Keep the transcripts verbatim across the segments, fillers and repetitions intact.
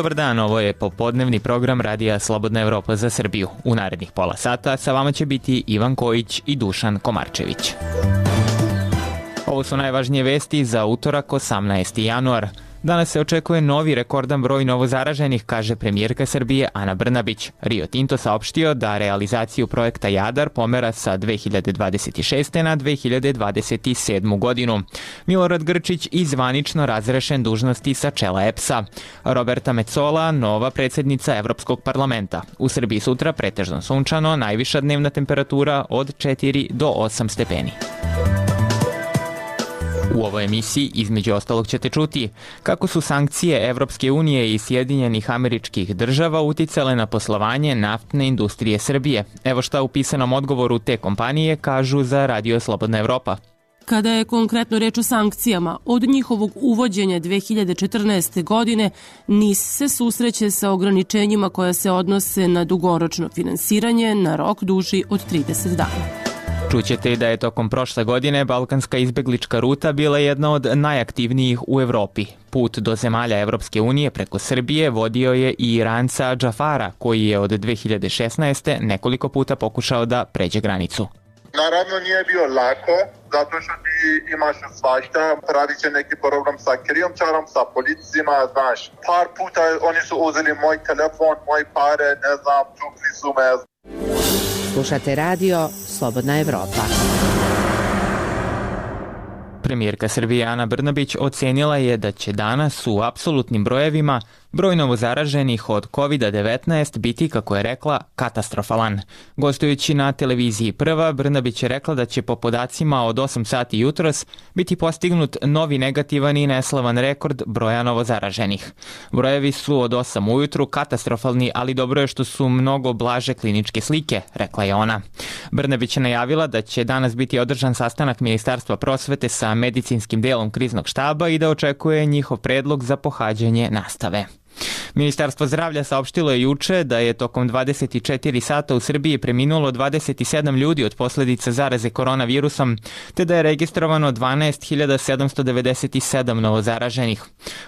Dobar dan, ovo je popodnevni program Radija Slobodna Evropa za Srbiju. U narednih pola sata sa vama će biti Ivan Kojić i Dušan Komarčević. Ovo su najvažnije vesti za utorak osamnaesti januar. Danas se očekuje novi rekordan broj novozaraženih, kaže premijerka Srbije Ana Brnabić. Rio Tinto saopštio da realizaciju projekta Jadar pomera sa dve hiljade dvadeset šeste. na dve hiljade dvadeset sedmu. godinu. Milorad Grčić izvanično razrešen dužnosti sa čela E P S-a. Roberta Metsola, nova predsjednica Evropskog parlamenta. U Srbiji sutra pretežno sunčano, najviša dnevna temperatura od četiri do osam stepeni. U ovoj emisiji, između ostalog, ćete čuti kako su sankcije Evropske unije i Sjedinjenih Američkih Država uticale na poslovanje naftne industrije Srbije. Evo šta u pisanom odgovoru te kompanije kažu za Radio Slobodna Evropa. Kada je konkretno reč o sankcijama, od njihovog uvođenja dve hiljade četrnaeste. godine N I S se susreće sa ograničenjima koja se odnose na dugoročno finansiranje na rok duži od trideset dana. Čućete da je tokom prošle godine balkanska izbeglička ruta bila jedna od najaktivnijih u Evropi. Put do zemalja Evropske unije preko Srbije vodio je i Iranca Džafara, koji je od dve hiljade šesnaeste. nekoliko puta pokušao da pređe granicu. Naravno nije bio lako, zato što ti imaš svašta, radi će neki program sa krijumčarom, sa policijima, znaš. Par puta oni su uzeli moj telefon, moje pare, ne znam, tukli su me. Slušate radio Slobodna Evropa. Premijerka Srbije Ana Brnabić ocenila je da će danas u apsolutnim brojevima broj novozaraženih od kovid devetnaest biti, kako je rekla, katastrofalan. Gostujući na televiziji Prva, Brnabić je rekla da će po podacima od osam sati jutros biti postignut novi negativan i neslavan rekord broja novozaraženih. Brojevi su od osam ujutru katastrofalni, ali dobro je što su mnogo blaže kliničke slike, rekla je ona. Brnabić je najavila da će danas biti održan sastanak Ministarstva prosvete sa medicinskim delom kriznog štaba i da očekuje njihov predlog za pohađanje nastave. Ministarstvo zdravlja saopštilo je juče da je tokom dvadeset četiri sata u Srbiji preminulo dvadeset sedam ljudi od posljedica zaraze koronavirusom, te da je registrovano dvanaest hiljada sedamsto devedeset sedam novozaraženih.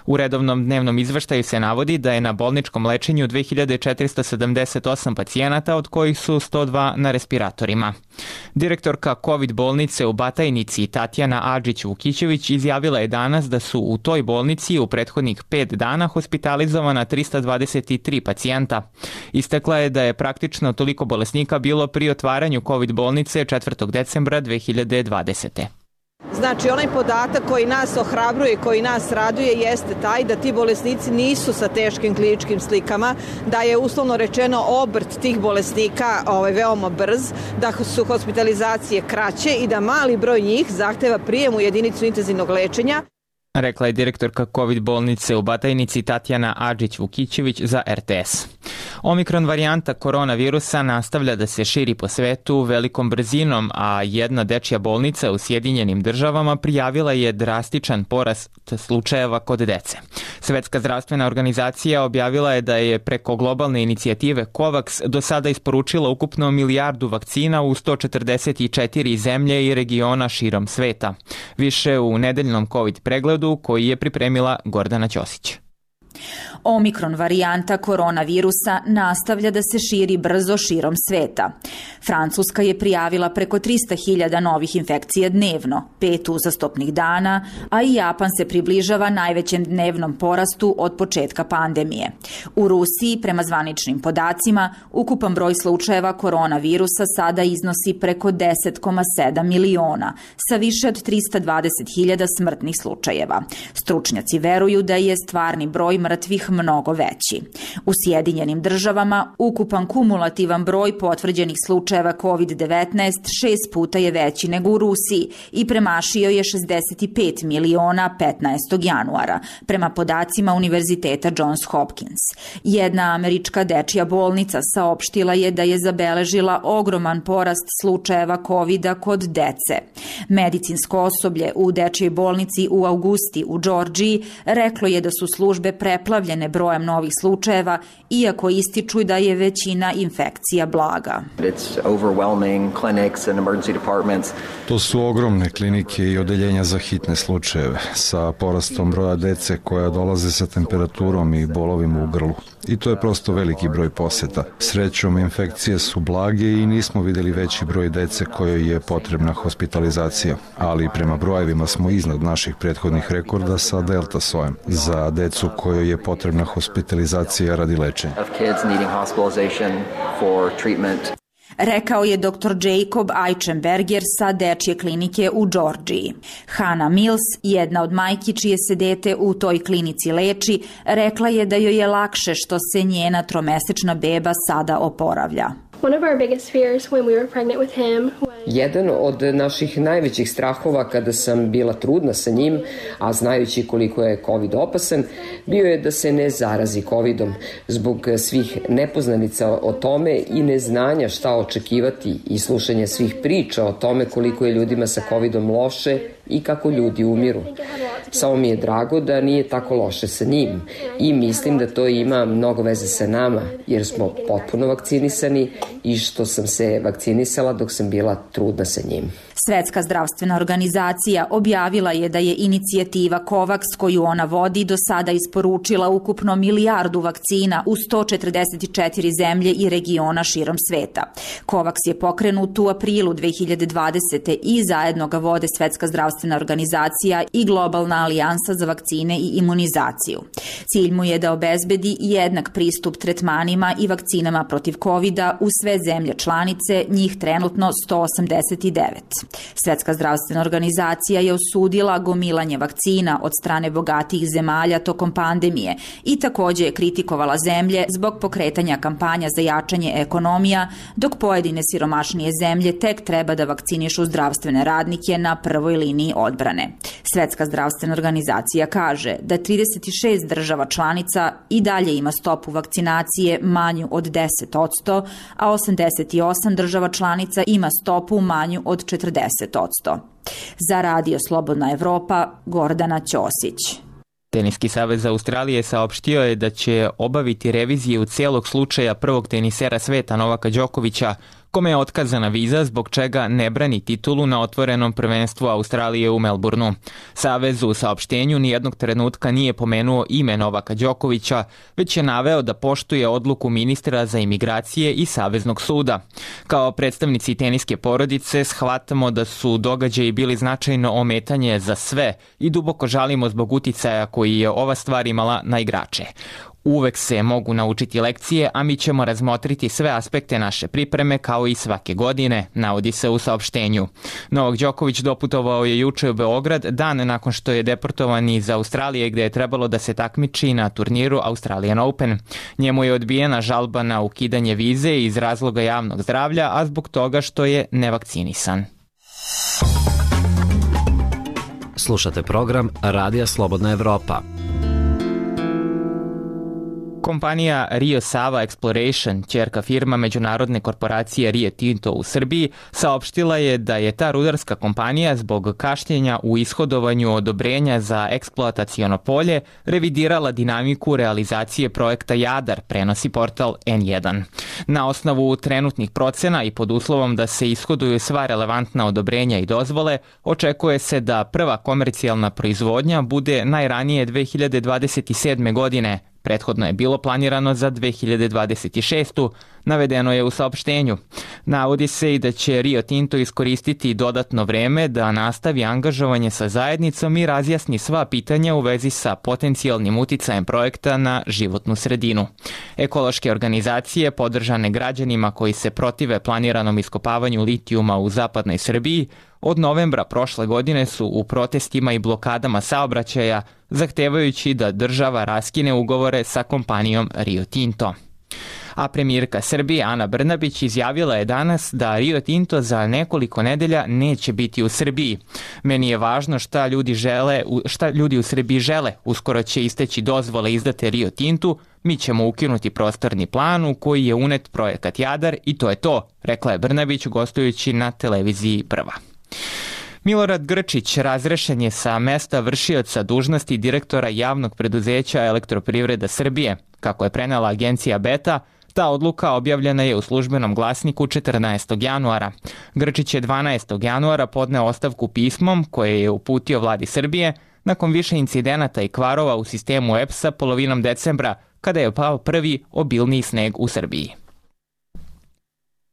U redovnom dnevnom izveštaju se navodi da je na bolničkom lečenju dve hiljade četiristo sedamdeset osam pacijenata, od kojih su sto dva na respiratorima. Direktorka COVID bolnice u Batajnici Tatjana Adžić-Vukićević izjavila je danas da su u toj bolnici u prethodnih pet dana hospitalizovana trista dvadeset tri pacijenta. Istakla je da je praktično toliko bolesnika bilo pri otvaranju COVID bolnice četvrtog decembra dve hiljade dvadesete. Znači, onaj podatak koji nas ohrabruje, koji nas raduje, jeste taj da ti bolesnici nisu sa teškim kliničkim slikama, da je uslovno rečeno obrt tih bolesnika ovaj, veoma brz, da su hospitalizacije kraće i da mali broj njih zahteva prijem u jedinicu intenzivnog lečenja. Rekla je direktorka COVID bolnice u Batajnici Tatjana Adžić-Vukićević za R T S. Omikron varijanta koronavirusa nastavlja da se širi po svetu velikom brzinom, a jedna dečja bolnica u Sjedinjenim Državama prijavila je drastičan porast slučajeva kod dece. Svetska zdravstvena organizacija objavila je da je preko globalne inicijative COVAX do sada isporučila ukupno milijardu vakcina u sto četrdeset četiri zemlje i regiona širom sveta. Više u nedeljnom COVID pregledu koji je pripremila Gordana Ćosić. Omikron varijanta koronavirusa nastavlja da se širi brzo širom sveta. Francuska je prijavila preko trista hiljada novih infekcija dnevno, pet uzastopnih dana, a i Japan se približava najvećem dnevnom porastu od početka pandemije. U Rusiji, prema zvaničnim podacima, ukupan broj slučajeva koronavirusa sada iznosi preko deset zarez sedam miliona, sa više od trista dvadeset hiljada smrtnih slučajeva. Stručnjaci veruju da je stvarni broj mrtvih mnogo veći. U Sjedinjenim Državama ukupan kumulativan broj potvrđenih slučajeva kovid devetnaest šest puta je veći nego u Rusiji i premašio je šezdeset pet miliona petnaestog januara, prema podacima Univerziteta Johns Hopkins. Jedna američka dečja bolnica saopštila je da je zabeležila ogroman porast slučajeva kovida kod dece. Medicinsko osoblje u dečjoj bolnici u Augusti u Džordžiji reklo je da su službe preplavljene zadovoljene brojem novih slučajeva, iako ističu da je većina infekcija blaga. To su ogromne klinike i odeljenja za hitne slučajeve, sa porastom broja dece koja dolaze sa temperaturom i bolovima u grlu. I to je prosto veliki broj poseta. Srećom, infekcije su blage i nismo videli veći broj dece kojoj je potrebna hospitalizacija, ali prema brojevima smo iznad naših prethodnih rekorda sa delta sojem za decu kojoj je potrebna hospitalizacija radi lečenja. Rekao je doktor Jacob Eichenberger sa dečje klinike u Džordžiji. Hannah Mills, jedna od majki čije se dete u toj klinici leči, rekla je da joj je lakše što se njena tromesečna beba sada oporavlja. Jedan od naših najvećih strahova kada sam bila trudna sa njim, a znajući koliko je COVID opasan, bio je da se ne zarazi covidom zbog svih nepoznanica o tome i neznanja šta očekivati i slušanja svih priča o tome koliko je ljudima sa covidom loše i kako ljudi umiru. Samo mi je drago da nije tako loše sa njim i mislim da to ima mnogo veze sa nama jer smo potpuno vakcinisani i što sam se vakcinisala dok sam bila trudna sa njim. Svetska zdravstvena organizacija objavila je da je inicijativa COVAX koju ona vodi do sada isporučila ukupno milijardu vakcina u sto četrdeset četiri zemlje i regiona širom sveta. COVAX je pokrenut u aprilu dve hiljade dvadesete. i zajedno ga vode Svetska zdravstvena organizacija i Globalna alijansa za vakcine i imunizaciju. Cilj mu je da obezbedi jednak pristup tretmanima i vakcinama protiv kovida u sve zemlje članice, njih trenutno sto osamdeset devet. Svetska zdravstvena organizacija je osudila gomilanje vakcina od strane bogatijih zemalja tokom pandemije i takođe je kritikovala zemlje zbog pokretanja kampanja za jačanje ekonomija, dok pojedine siromašnije zemlje tek treba da vakcinišu zdravstvene radnike na prvoj liniji odbrane. Svetska zdravstvena organizacija kaže da trideset šest država članica i dalje ima stopu vakcinacije manju od deset posto, a osamdeset osam država članica ima stopu manju od četrdeset posto. Za Radio Slobodna Evropa, Gordana Ćosić. Teniski savez Australije saopštio je da će obaviti reviziju celog slučaja prvog tenisera sveta Novaka Đokovića, kome je otkazana viza zbog čega ne brani titulu na otvorenom prvenstvu Australije u Melbourneu. Savez u saopštenju nijednog trenutka nije pomenuo ime Novaka Đokovića, već je naveo da poštuje odluku ministra za imigracije i Saveznog suda. Kao predstavnici teniske porodice shvatamo da su događaji bili značajno ometanje za sve i duboko žalimo zbog uticaja koji je ova stvar imala na igrače. Uvek se mogu naučiti lekcije, a mi ćemo razmotriti sve aspekte naše pripreme kao i svake godine, navodi se u saopštenju. Novak Đoković doputovao je juče u Beograd, dan nakon što je deportovan iz Australije gde je trebalo da se takmiči na turniru Australian Open. Njemu je odbijena žalba na ukidanje vize iz razloga javnog zdravlja, a zbog toga što je nevakcinisan. Slušate program Radija Slobodna Evropa. Kompanija Rio Sava Exploration, ćerka firma međunarodne korporacije Rio Tinto u Srbiji, saopštila je da je ta rudarska kompanija zbog kašnjenja u ishodovanju odobrenja za eksploataciono polje revidirala dinamiku realizacije projekta Jadar, prenosi portal en jedan. Na osnovu trenutnih procena i pod uslovom da se ishoduju sva relevantna odobrenja i dozvole, očekuje se da prva komercijalna proizvodnja bude najranije dve hiljade dvadeset sedme. godine. Prethodno je bilo planirano za dve hiljade dvadeset šestu. navedeno je u saopštenju. Navodi se i da će Rio Tinto iskoristiti dodatno vreme da nastavi angažovanje sa zajednicom i razjasni sva pitanja u vezi sa potencijalnim uticajem projekta na životnu sredinu. Ekološke organizacije, podržane građanima koji se protive planiranom iskopavanju litijuma u zapadnoj Srbiji, od novembra prošle godine su u protestima i blokadama saobraćaja zahtevajući da država raskine ugovore sa kompanijom Rio Tinto. A premijerka Srbije Ana Brnabić izjavila je danas da Rio Tinto za nekoliko nedelja neće biti u Srbiji. Meni je važno šta ljudi, žele, šta ljudi u Srbiji žele. Uskoro će isteći dozvole izdate Rio Tintu, mi ćemo ukinuti prostorni plan u koji je unet projekat Jadar i to je to, rekla je Brnabić gostujući na televiziji Prva. Milorad Grčić razrešen je sa mesta vršioca dužnosti direktora javnog preduzeća Elektroprivreda Srbije. Kako je prenela agencija Beta, ta odluka objavljena je u službenom glasniku četrnaestog januara. Grčić je dvanaestog januara podneo ostavku pismom koje je uputio vladi Srbije nakon više incidenata i kvarova u sistemu E P S-a polovinom decembra, kada je pao prvi obilniji sneg u Srbiji.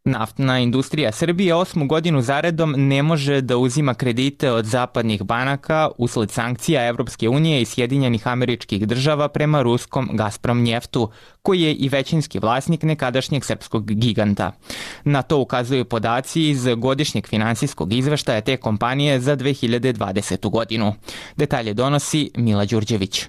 Naftna industrija Srbije osmu godinu zaredom ne može da uzima kredite od zapadnih banaka usled sankcija Evropske unije i Sjedinjenih Američkih Država prema ruskom Gazprom njeftu, koji je i većinski vlasnik nekadašnjeg srpskog giganta. Na to ukazuju podaci iz godišnjeg finansijskog izveštaja te kompanije za dve hiljade dvadesetu godinu. Detalje donosi Mila Đurđević.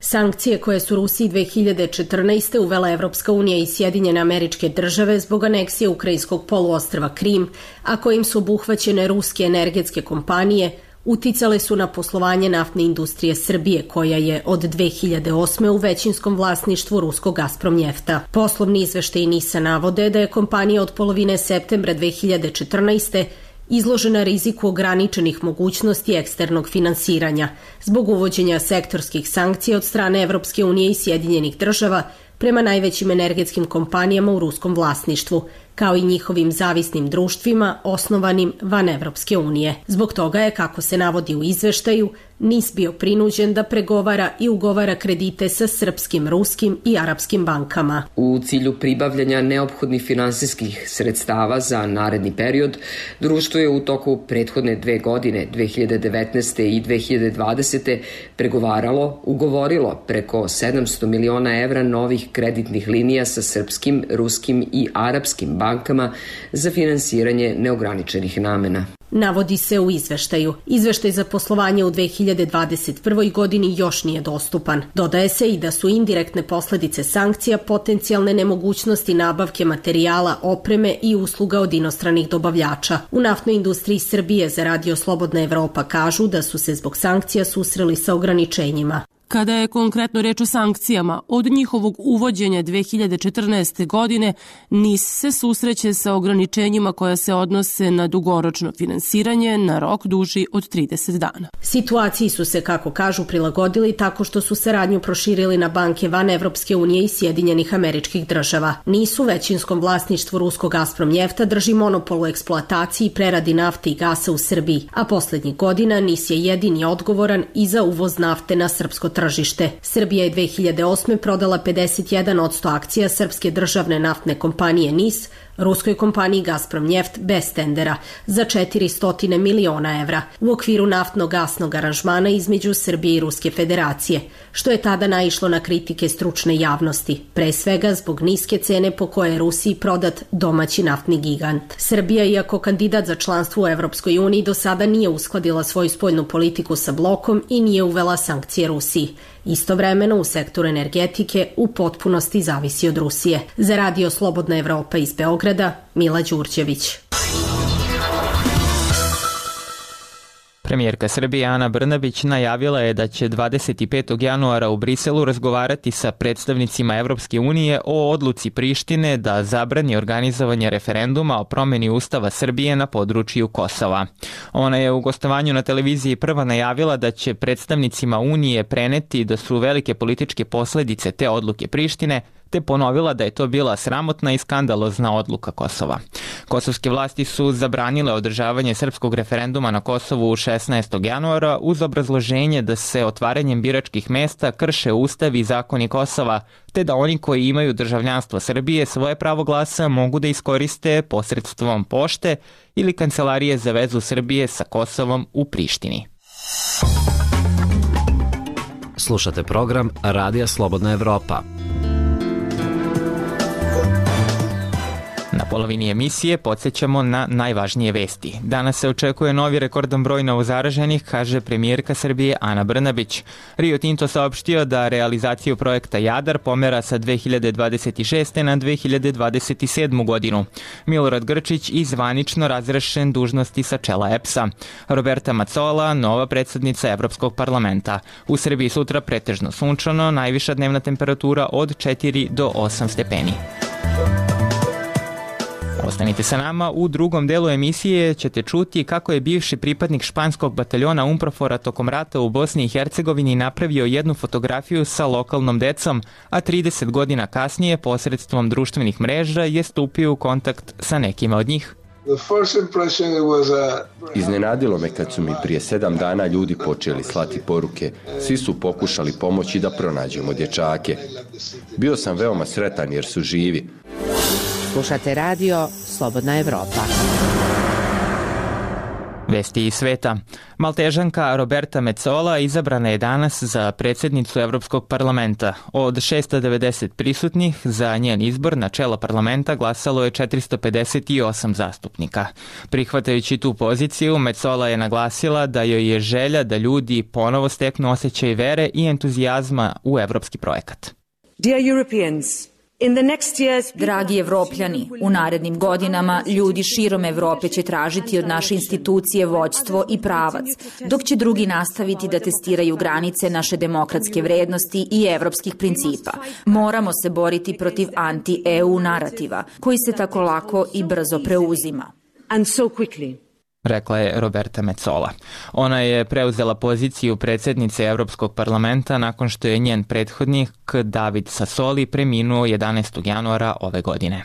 Sankcije koje su Rusiji dve hiljade četrnaeste. uvela Evropska unija i Sjedinjene Američke Države zbog aneksije ukrajinskog poluostrva Krim, a kojim su obuhvaćene ruske energetske kompanije, uticale su na poslovanje naftne industrije Srbije, koja je od dve hiljade osme. u većinskom vlasništvu ruskog Gazprom njefta. Poslovni izveštaji NIS-a navode da je kompanija od polovine septembra dve hiljade četrnaeste. izložena riziku ograničenih mogućnosti eksternog finansiranja zbog uvođenja sektorskih sankcija od strane Evropske unije i Sjedinjenih Država prema najvećim energetskim kompanijama u ruskom vlasništvu, kao i njihovim zavisnim društvima osnovanim van Evropske unije. Zbog toga je, kako se navodi u izveštaju, NIS bio prinuđen da pregovara i ugovara kredite sa srpskim, ruskim i arapskim bankama. U cilju pribavljanja neophodnih finansijskih sredstava za naredni period, društvo je u toku prethodne dve godine, dve hiljade devetnaeste. i dve hiljade dvadesete. pregovaralo, ugovorilo preko sedamsto miliona evra novih kreditnih linija sa srpskim, ruskim i arapskim bankama za finansiranje neograničenih namena. Navodi se u izveštaju. Izveštaj za poslovanje u dve hiljade dvadeset prvoj. godini još nije dostupan. Dodaje se i da su indirektne posledice sankcija potencijalne nemogućnosti nabavke materijala, opreme i usluga od inostranih dobavljača. U naftnoj industriji Srbije za Radio Slobodna Evropa kažu da su se zbog sankcija susreli sa ograničenjima. Kada je konkretno reč o sankcijama, od njihovog uvođenja dve hiljade četrnaeste. godine NIS se susreće sa ograničenjima koja se odnose na dugoročno finansiranje na rok duži od trideset dana. Situaciji su se, kako kažu, prilagodili tako što su saradnju proširili na banke van Evropske unije i Sjedinjenih Američkih Država. NIS u većinskom vlasništvu ruskog Gazprom njefta drži monopol u eksploataciji i preradi nafte i gasa u Srbiji, a poslednjih godina NIS je jedini odgovoran i za uvoz nafte na srpsko tržište. Tržište. Srbija je dve hiljade osme. prodala pedeset jedan posto akcija srpske državne naftne kompanije NIS ruskoj kompaniji Gazprom njeft bez tendera za četiristo miliona evra u okviru naftno-gasnog aranžmana između Srbije i Ruske federacije, što je tada naišlo na kritike stručne javnosti, pre svega zbog niske cene po koje je Rusiji prodat domaći naftni gigant. Srbija, iako kandidat za članstvo u Evropskoj uniji, do sada nije uskladila svoju spoljnu politiku sa blokom i nije uvela sankcije Rusiji. Istovremeno u sektoru energetike u potpunosti zavisi od Rusije. Za Radio Slobodna Evropa iz Beograda, Mila Đurđević. Premijerka Srbije Ana Brnabić najavila je da će dvadeset petog januara u Briselu razgovarati sa predstavnicima Evropske unije o odluci Prištine da zabrani organizovanje referenduma o promeni Ustava Srbije na području Kosova. Ona je u gostovanju na televiziji prva najavila da će predstavnicima Unije preneti da su velike političke posledice te odluke Prištine, te ponovila da je to bila sramotna i skandalozna odluka Kosova. Kosovske vlasti su zabranile održavanje srpskog referenduma na Kosovu šesnaestog januara uz obrazloženje da se otvaranjem biračkih mesta krše ustav i zakoni Kosova, te da oni koji imaju državljanstvo Srbije svoje pravo glasa mogu da iskoriste posredstvom pošte ili Kancelarije za vezu Srbije sa Kosovom u Prištini. Slušate program Radija Slobodna Evropa. Na polovini emisije podsjećamo na najvažnije vesti. Danas se očekuje novi rekordan broj novozaraženih, kaže premijerka Srbije Ana Brnabić. Rio Tinto saopštio da realizaciju projekta Jadar pomera sa dve hiljade dvadeset šeste. na dve hiljade dvadeset sedmu. godinu. Milorad Grčić izvanično razrešen dužnosti sa čela E P S-a. Roberta Macola, nova predsednica Evropskog parlamenta. U Srbiji sutra pretežno sunčano, najviša dnevna temperatura od četiri do osam stepeni. Ostanite sa nama, u drugom delu emisije ćete čuti kako je bivši pripadnik španskog bataljona UNPROFOR-a tokom rata u Bosni i Hercegovini napravio jednu fotografiju sa lokalnom decom, a trideset godina kasnije posredstvom društvenih mreža je stupio u kontakt sa nekima od njih. Iznenadilo me kad su mi prije sedam dana ljudi počeli slati poruke. Svi su pokušali pomoći da pronađemo dječake. Bio sam veoma sretan jer su živi. Slušate radio Slobodna Evropa. Vesti iz sveta. Maltežanka Roberta Metsola izabrana je danas za predsjednicu Evropskog parlamenta. Od šesto devedeset prisutnih za njen izbor na čelo parlamenta glasalo je četiristo pedeset osam zastupnika. Prihvatajući tu poziciju, Metsola je naglasila da joj je želja da ljudi ponovo steknu osjećaj vere i entuzijazma u evropski projekat. Dear Europeans, dragi Evropljani, u narednim godinama ljudi širom Evrope će tražiti od naše institucije vođstvo i pravac, dok će drugi nastaviti da testiraju granice naše demokratske vrednosti i evropskih principa. Moramo se boriti protiv anti-E U narativa, koji se tako lako i brzo preuzima. And so quickly. Rekla je Roberta Metsola. Ona je preuzela poziciju predsjednice Evropskog parlamenta nakon što je njen prethodnik David Sassoli preminuo jedanaestog januara ove godine.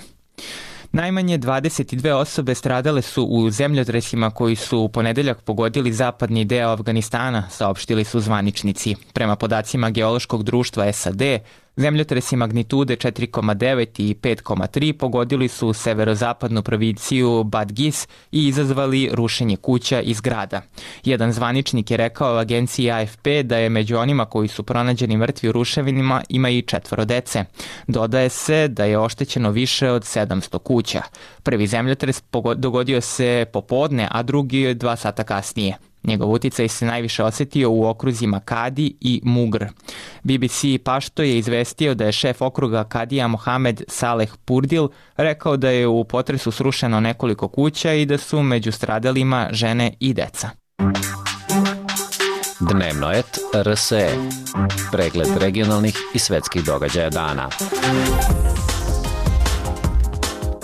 Najmanje dvadeset dve osobe stradale su u zemljotresima koji su u ponedeljak pogodili zapadni deo Afganistana, saopštili su zvaničnici. Prema podacima Geološkog društva S A D, zemljotresi magnitude četiri zarez devet i pet zarez tri pogodili su severozapadnu provinciju Badghis i izazvali rušenje kuća i zgrada. Jedan zvaničnik je rekao agenciji A F P da je među onima koji su pronađeni mrtvi u ruševinama ima i četvoro dece. Dodaje se da je oštećeno više od sedamsto kuća. Prvi zemljotres dogodio se popodne, a drugi dva sata kasnije. Njegov uticaj se najviše osjetio u okruzima Kadi i Mugr. B B C Pašto je izvestio da je šef okruga Kadija Mohamed Saleh Purdil rekao da je u potresu srušeno nekoliko kuća i da su među stradalima žene i deca. Dnevnoet R S E. Pregled regionalnih i svetskih događaja dana.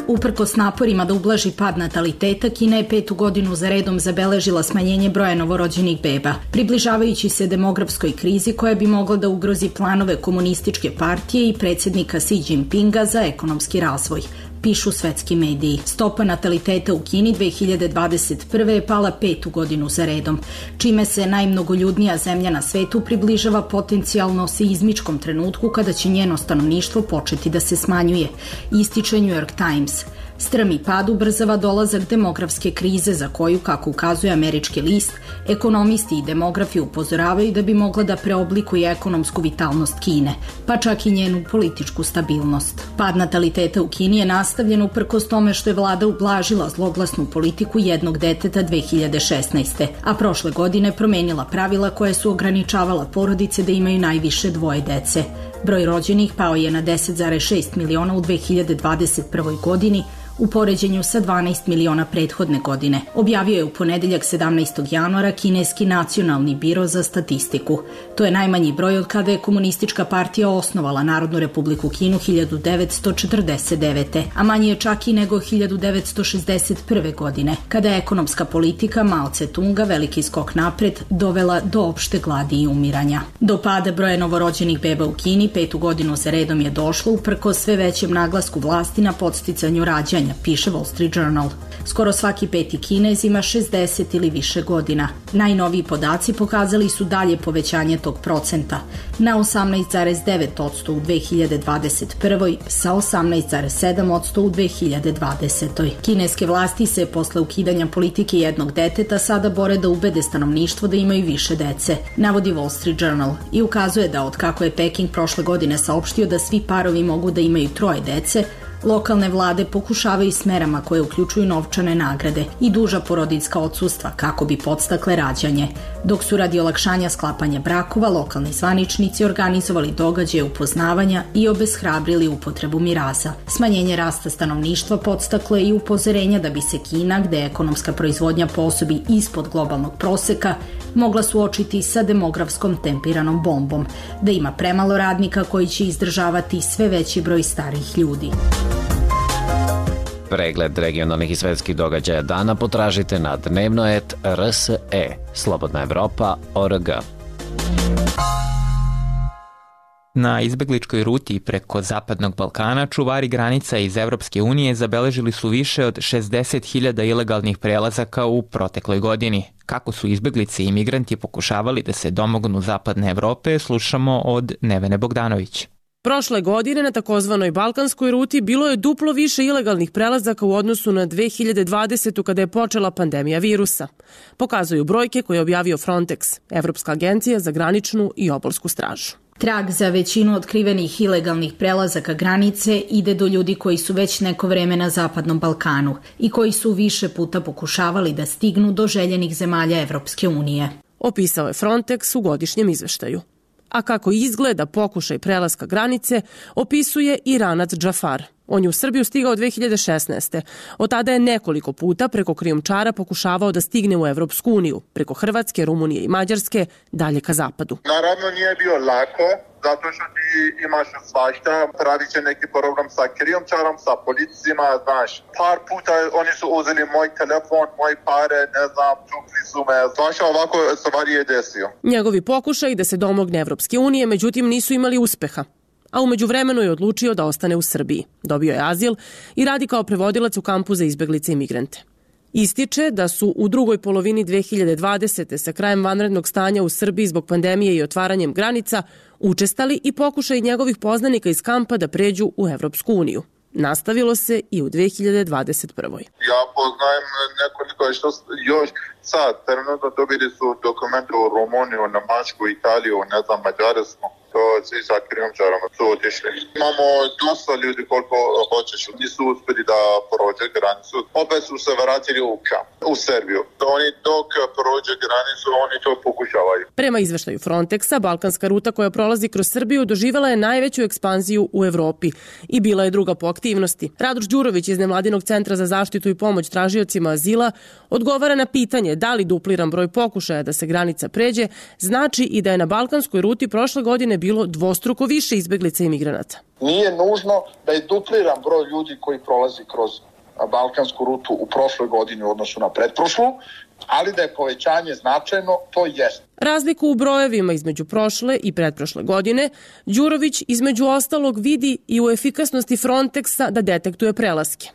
Uprkos naporima da ublaži pad nataliteta, Kina je petu godinu za redom zabeležila smanjenje broja novorođenih beba, približavajući se demografskoj krizi koja bi mogla da ugrozi planove komunističke partije i predsjednika Xi Jinpinga za ekonomski razvoj, pišu svetski mediji. Stopa nataliteta u Kini dve hiljade dvadeset prve je pala petu godinu za redom, čime se najmnogoljudnija zemlja na svetu približava potencijalno seizmičkom trenutku kada će njeno stanovništvo početi da se smanjuje, ističe New York Times. Strmi pad ubrzava dolazak demografske krize za koju, kako ukazuje američki list, ekonomisti i demografi upozoravaju da bi mogla da preoblikuje ekonomsku vitalnost Kine, pa čak i njenu političku stabilnost. Pad nataliteta u Kini je nastavljen uprkos tome što je vlada ublažila zloglasnu politiku jednog deteta dve hiljade šesnaeste. a prošle godine promenila pravila koje su ograničavala porodice da imaju najviše dvoje dece. Broj rođenih pao je na deset zarez šest miliona u dve hiljade dvadeset prvoj godini, u poređenju sa dvanaest miliona prethodne godine, objavio je u ponedeljak sedamnaestog januara kineski nacionalni biro za statistiku. To je najmanji broj od kada je komunistička partija osnovala Narodnu republiku Kinu hiljadu devetsto četrdeset devete. a manji je čak i nego hiljadu devetsto šezdeset prve. godine, kada je ekonomska politika Mao Tse-tunga veliki skok napred dovela do opšte gladi i umiranja. Do pada broja novorođenih beba u Kini petu godinu za redom je došlo uprkos sve većem naglasku vlasti na podsticanju rađanja, piše Wall Street Journal. Skoro svaki peti Kinez ima šezdeset ili više godina. Najnoviji podaci pokazali su dalje povećanje tog procenta na osamnaest zarez devet posto u dve hiljade dvadeset prvoj sa osamnaest zarez sedam posto u dve hiljade dvadesetoj. Kineske vlasti se posle ukidanja politike jednog deteta sada bore da ubede stanovništvo da imaju više dece, navodi Wall Street Journal i ukazuje da od kako je Peking prošle godine saopštio da svi parovi mogu da imaju troje dece, lokalne vlade pokušavaju s merama koje uključuju novčane nagrade i duža porodiljska odsustva kako bi podstakle rađanje, dok su radi olakšanja sklapanja brakova lokalni zvaničnici organizovali događaje upoznavanja i obeshrabrili upotrebu miraza. Smanjenje rasta stanovništva podstaklo je i upozorenja da bi se Kina, gde je ekonomska proizvodnja po osobi ispod globalnog proseka, mogla suočiti sa demografskom tempiranom bombom, da ima premalo radnika koji će izdržavati sve veći broj starih ljudi. Pregled regionalnih i svetskih događaja dana potražite na dnevnoet tačka r s e, slobodna evropa tačka org. Na izbegličkoj ruti preko Zapadnog Balkana čuvari granica iz Evropske unije zabeležili su više od šezdeset hiljada ilegalnih prelazaka u protekloj godini. Kako su izbeglice i imigranti pokušavali da se domognu Zapadne Evrope, slušamo od Nevene Bogdanović. Prošle godine na takozvanoj Balkanskoj ruti bilo je duplo više ilegalnih prelazaka u odnosu na dve hiljade dvadesetu kada je počela pandemija virusa. Pokazuju brojke koje je objavio Frontex, Evropska agencija za graničnu i obalsku stražu. Trag za većinu otkrivenih ilegalnih prelazaka granice ide do ljudi koji su već neko vreme na Zapadnom Balkanu i koji su više puta pokušavali da stignu do željenih zemalja Evropske unije. Opisao je Frontex u godišnjem izveštaju. A kako izgleda pokušaj prelaska granice, opisuje Iranac Džafar. On je u Srbiju stigao dve hiljade šesnaeste. Od tada je nekoliko puta preko krijumčara pokušavao da stigne u Evropsku uniju, preko Hrvatske, Rumunije i Mađarske, dalje ka zapadu. Naravno nije bio lako, zato što ti imaš svašta, pravi će neki problem sa krijumčarom, sa policijima, znaš. Par puta oni su uzeli moj telefon, moj pare, ne znam, tukli su me, svašta ovako stvari je desio. Njegovi pokušaj da se domogne Evropske unije, međutim, nisu imali uspeha. A umeđu vremenu je odlučio da ostane u Srbiji. Dobio je azil i radi kao prevodilac u kampu za izbeglice i migrante. Ističe da su u drugoj polovini dve hiljade dvadesete sa krajem vanrednog stanja u Srbiji zbog pandemije i otvaranjem granica učestali i pokušaj njegovih poznanika iz kampa da pređu u Evropsku uniju. Nastavilo se i u dve hiljade dvadeset prvoj. Ja poznajem nekoliko što još sad, trenutno dobili su dokumente u Rumuniju, Nemačku, Italiju, ne znam, Mađarsku. To svi sa krijumčarama su otišli. Imamo dosta ljudi koliko hoćeš, nisu uspjeli da prođe granicu. Opet su se vratili u kamp, u Srbiju. Oni dok prođe granicu, oni to pokušavaju. Prema izveštaju Frontexa, balkanska ruta koja prolazi kroz Srbiju doživjela je najveću ekspanziju u Evropi i bila je druga po aktivnosti. Radoš Đurović iz Nevladinog centra za zaštitu i pomoć tražiocima azila odgovara na pitanje da li dupliran broj pokušaja da se granica pređe znači i da je na balkanskoj ruti prošle godine bilo dvostruko više izbeglica i migranata. Nije nužno da je dupliran broj ljudi koji prolazi kroz balkansku rutu u prošloj godini u odnosu na pretprošlu, ali da je povećanje značajno, to jest. Razliku u brojevima između prošle i pretprošle godine Đurović između ostalog vidi i u efikasnosti Frontexa da detektuje prelaske.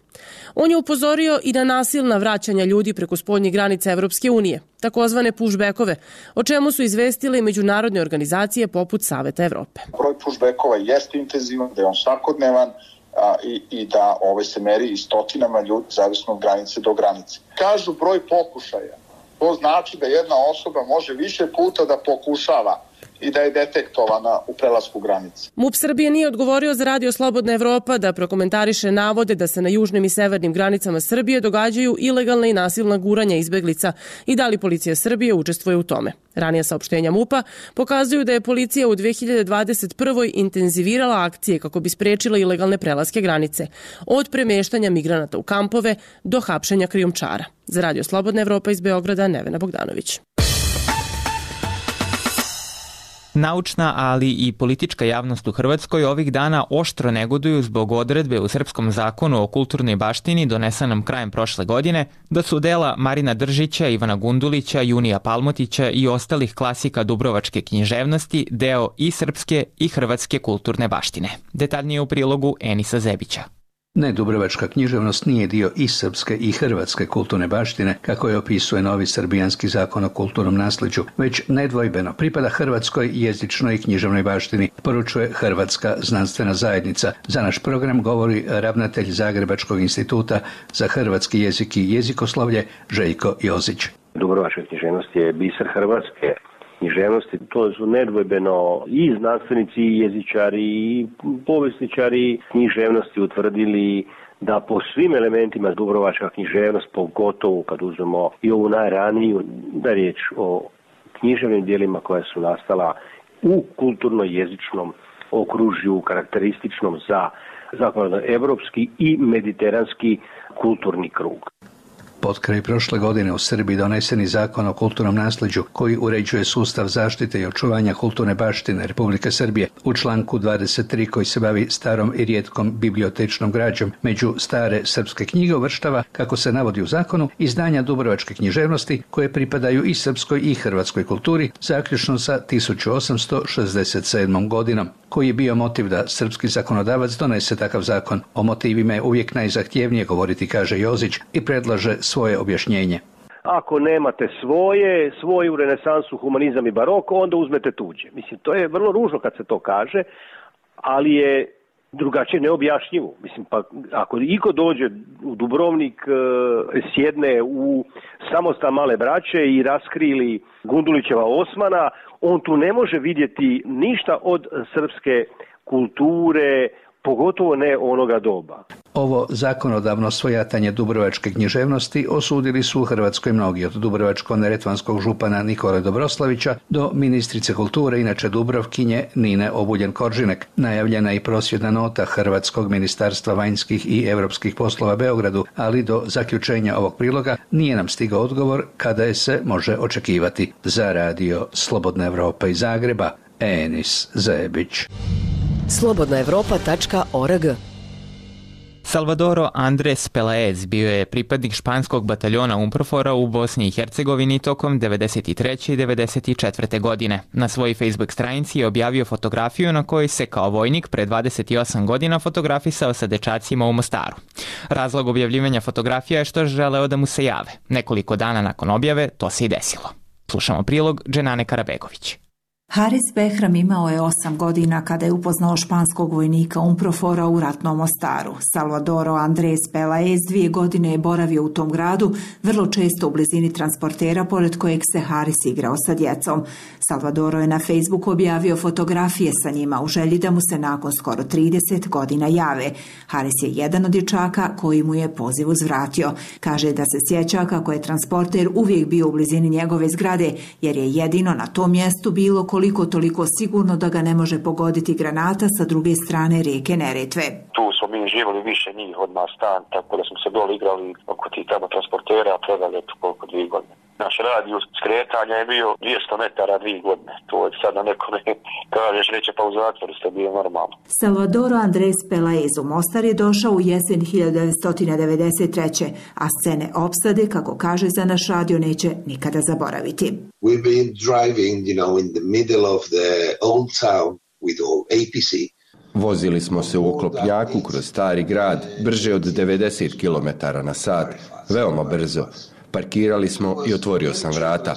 On je upozorio i na nasilna vraćanja ljudi preko spoljnih granica Evropske unije, takozvane pushbackove, o čemu su izvestile i međunarodne organizacije poput Saveta Evrope. Broj pushbackova jeste intenzivan, da je on svakodnevan, A, i, i da ove se meri i stotinama ljudi zavisno od granice do granice. Kažu broj pokušaja. To znači da jedna osoba može više puta da pokušava i da je detektovana u prelasku granice. MUP Srbije nije odgovorio za Radio Slobodna Evropa da prokomentariše navode da se na južnim i severnim granicama Srbije događaju ilegalna i nasilna guranja izbeglica i da li policija Srbije učestvuje u tome. Ranija saopštenja MUP-a pokazuju da je policija u dve hiljade dvadeset prvoj intenzivirala akcije kako bi sprečila ilegalne prelaske granice, od premeštanja migranata u kampove do hapšenja krijumčara. Za Radio Slobodna Evropa iz Beograda, Nevena Bogdanović. Naučna, ali i politička javnost u Hrvatskoj ovih dana oštro negoduju zbog odredbe u Srpskom zakonu o kulturnoj baštini donesenom krajem prošle godine da su dela Marina Držića, Ivana Gundulića, Junija Palmotića i ostalih klasika dubrovačke književnosti deo i srpske i hrvatske kulturne baštine. Detaljnije u prilogu Enisa Zebića. Ne, dubrovačka književnost nije dio i srpske i hrvatske kulturne baštine, kako je opisuje novi srbijanski zakon o kulturnom naslijeđu, već nedvojbeno pripada hrvatskoj jezičnoj i književnoj baštini, poručuje Hrvatska znanstvena zajednica. Za naš program govori ravnatelj Zagrebačkog instituta za hrvatski jezik i jezikoslovlje Željko Jozić. Dubrovačka književnost je biser hrvatske književnosti. To su nedvojbeno i znanstvenici, i jezičari, i povjesničari književnosti utvrdili da po svim elementima dubrovačka književnost, pogotovo kad uzmemo i ovu najraniju, da je riječ o književnim dijelima koja su nastala u kulturno-jezičnom okružju, karakterističnom za zapadnoevropski i mediteranski kulturni krug. Potkraj prošle godine u Srbiji doneseni zakon o kulturnom nasleđu koji uređuje sustav zaštite i očuvanja kulturne baštine Republike Srbije u članku dvadeset tri koji se bavi starom i rijetkom bibliotečnom građom među stare srpske knjige uvrštava, kako se navodi u zakonu, izdanja dubrovačke književnosti koje pripadaju i srpskoj i hrvatskoj kulturi, zaključno sa tisuću osamsto šezdeset sedmom godinom. Koji je bio motiv da srpski zakonodavac donese takav zakon? O motivima je uvijek najzahtjevnije govoriti, kaže Jozić, i predlaže svoje objašnjenje. Ako nemate svoje, svoju renesansu, humanizam i barok, onda uzmete tuđe. Mislim, to je vrlo ružno kad se to kaže, ali je drugačije neobjašnjivo. Mislim, pa ako iko dođe u Dubrovnik, sjedne u samostan Male braće i raskrili Gundulićeva Osmana, on tu ne može vidjeti ništa od srpske kulture, pogotovo ne onoga doba. Ovo zakonodavno svojatanje dubrovačke književnosti osudili su u Hrvatskoj mnogi, od dubrovačko-neretvanskog župana Nikole Dobroslavića do ministrice kulture, inače Dubrovkinje, Nine Obuljen-Koržinek. Najavljena i prosvjedna nota Hrvatskog ministarstva vanjskih i europskih poslova Beogradu, ali do zaključenja ovog priloga nije nam stigao odgovor kada je se može očekivati. Za radio Slobodna Evropa iz Zagreba, Enis Zebić. slobodna evropa tačka org. Salvadoro Andres Pelaez bio je pripadnik španskog bataljona UNPROFOR-a u Bosni i Hercegovini tokom devedeset treće i devedeset četvrte godine. Na svojoj Facebook stranici je objavio fotografiju na kojoj se kao vojnik pre dvadeset osam godina fotografisao sa dečacima u Mostaru. Razlog objavljivanja fotografija je što je želeo da mu se jave. Nekoliko dana nakon objave to se i desilo. Slušamo prilog Dženane Karabegović. Haris Behram imao je osam godina kada je upoznao španskog vojnika UNPROFOR-a u ratnom Mostaru. Salvadoro Andres Pelaez dvije godine je boravio u tom gradu, vrlo često u blizini transportera pored kojeg se Haris igrao sa djecom. Salvadoro je na Facebooku objavio fotografije sa njima u želji da mu se nakon skoro trideset godina jave. Haris je jedan od dječaka koji mu je poziv uzvratio. Kaže da se sjeća kako je transporter uvijek bio u blizini njegove zgrade, jer je jedino na tom mjestu bilo koliko toliko sigurno da ga ne može pogoditi granata sa druge strane rijeke Neretve. Tu smo mi živjeli više njih od nas stan, tako da smo se dole igrali oko tih tamo transportera, predali eto koliko dvije godine. Naš radijus skretanja je bio dvjesto metara dvije godine. To je sad na nekome kažeš reće pa u zatvoru ste bio normalno. Salvadoro Andres Pelaez u Mostar je došao u jesen hiljadu devetsto devedeset treće a scene opsade, kako kaže za naš radio, neće nikada zaboraviti. We've been driving, you know, in the middle of the old town with all A P C. Vozili smo se u oklopnjaku kroz stari grad, brže od devedeset kilometara na sat, veoma brzo. Parkirali smo i otvorio sam vrata.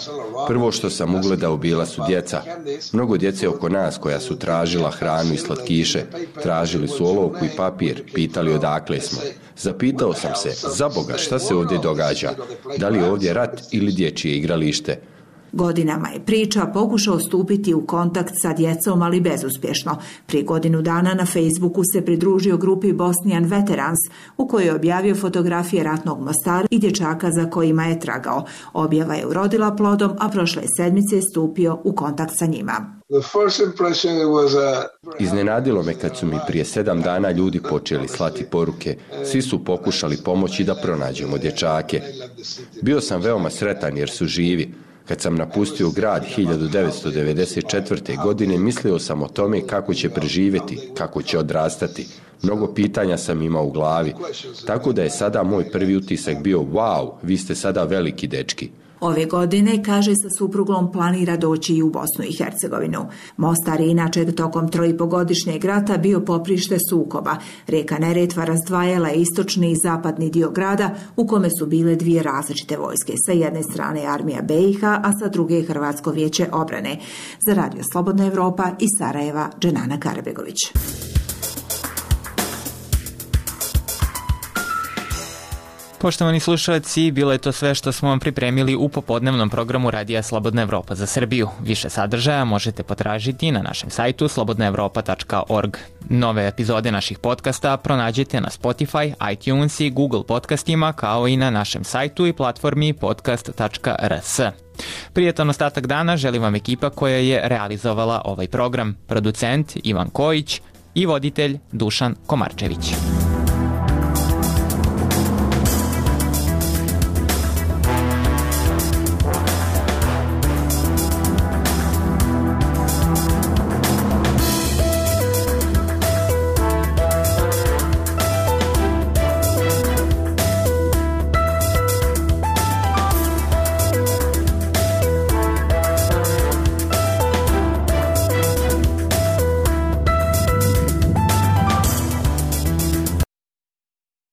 Prvo što sam ugledao bila su djeca. Mnogo djece oko nas koja su tražila hranu i slatkiše. Tražili su olovku i papir, pitali odakle smo. Zapitao sam se, za Boga, šta se ovdje događa? Da li je ovdje rat ili dječje igralište? Godinama je priča pokušao stupiti u kontakt sa djecom, ali bezuspješno. Prije godinu dana na Facebooku se pridružio grupi Bosnian Veterans, u kojoj je objavio fotografije ratnog Mostara i dječaka za kojima je tragao. Objava je urodila plodom, a prošle sedmice je stupio u kontakt sa njima. Iznenadilo me kad su mi prije sedam dana ljudi počeli slati poruke. Svi su pokušali pomoći da pronađemo dječake. Bio sam veoma sretan jer su živi. Kad sam napustio grad hiljadu devetsto devedeset četvrte. godine, mislio sam o tome kako će preživjeti, kako će odrastati. Mnogo pitanja sam imao u glavi. Tako da je sada moj prvi utisak bio, wow, vi ste sada veliki dečki. Ove godine, kaže, sa suprugom planira doći i u Bosnu i Hercegovinu. Mostar je inače tokom trojipogodišnjeg rata bio poprište sukoba. Rijeka Neretva razdvajala je istočni i zapadni dio grada, u kome su bile dvije različite vojske. Sa jedne strane armija B i H, a sa druge Hrvatsko vijeće obrane. Za radio Slobodna Evropa iz Sarajeva, Dženana Karabegović. Poštovani slušalci, bilo je to sve što smo vam pripremili u popodnevnom programu Radija Slobodna Evropa za Srbiju. Više sadržaja možete potražiti na našem sajtu slobodna evropa tačka org. Nove epizode naših podcasta pronađete na Spotify, iTunes i Google podcastima, kao i na našem sajtu i platformi podcast tačka r s. Prijetan ostatak dana želi vam ekipa koja je realizovala ovaj program, producent Ivan Kojić i voditelj Dušan Komarčević.